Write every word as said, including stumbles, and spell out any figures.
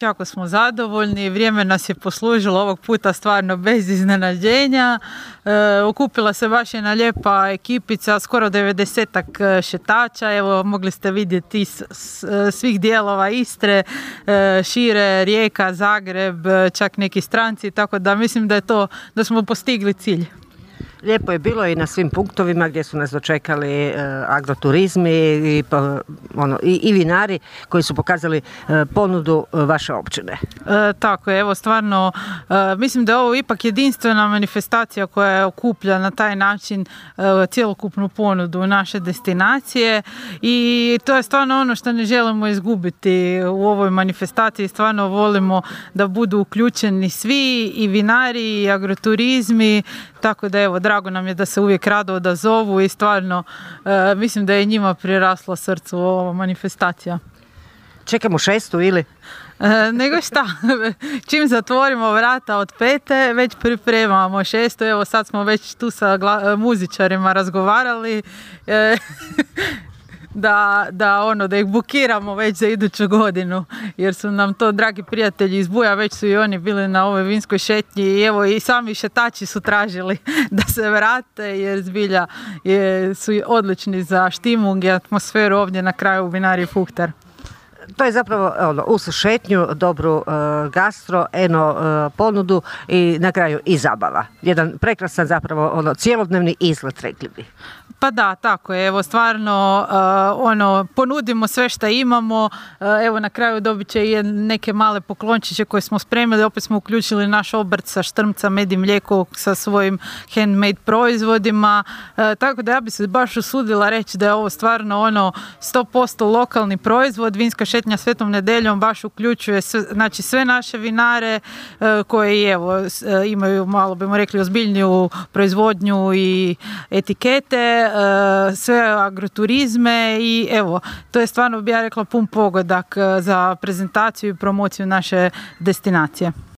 Jako smo zadovoljni, vrijeme nas je poslužilo ovog puta stvarno bez iznenađenja. E, okupila se baš jedna lijepa ekipica, skoro devedesetak šetača. Evo, mogli ste vidjeti s, s, svih dijelova Istre, e, šire, Rijeka, Zagreb, čak neki stranci, tako da mislim da je to, da smo postigli cilj. Lijepo je bilo i na svim punktovima gdje su nas dočekali e, agroturizmi i, ono, i, i vinari koji su pokazali e, ponudu vaše općine. E, tako je, evo stvarno e, mislim da je ovo ipak jedinstvena manifestacija koja okuplja na taj način e, cjelokupnu ponudu naše destinacije i to je stvarno ono što ne želimo izgubiti u ovoj manifestaciji. Stvarno volimo da budu uključeni svi, i vinari i agroturizmi, tako da evo, drago nam je da se uvijek rado odazovu i stvarno e, mislim da je njima priraslo srcu ova manifestacija. Čekamo šestu ili? E, nego šta, čim zatvorimo vrata od pete, već pripremamo šestu. Evo sad smo već tu sa gla- muzičarima razgovarali. E, Da, da, ono, da ih bukiramo već za iduću godinu, jer su nam to dragi prijatelji iz Buja, već su i oni bili na ovoj vinskoj šetnji i evo i sami šetači su tražili da se vrate, jer zbilja je, su odlični za štimung i atmosferu ovdje na kraju u vinariji Fuhtar. To je zapravo ono, uz šetnju, dobru uh, gastro, eno uh, ponudu i na kraju i zabava. Jedan prekrasan zapravo ono, cijelodnevni izlet, rekli bi. Pa da, tako je. Evo stvarno uh, ono, ponudimo sve što imamo. Uh, evo na kraju dobit će i neke male poklončiće koje smo spremili. Opet smo uključili naš obrt sa štrmca, med i mlijeko sa svojim handmade proizvodima. Uh, tako da ja bi se baš usudila reći da je ovo stvarno ono sto posto lokalni proizvod. Vinska šetnja Svetom nedeljom baš uključuje sve, znači sve naše vinare uh, koji evo uh, imaju, malo bimo rekli, ozbiljniju proizvodnju i etikete, sve agroturizme i evo, to je stvarno, bi ja rekla, pun pogodak za prezentaciju i promociju naše destinacije.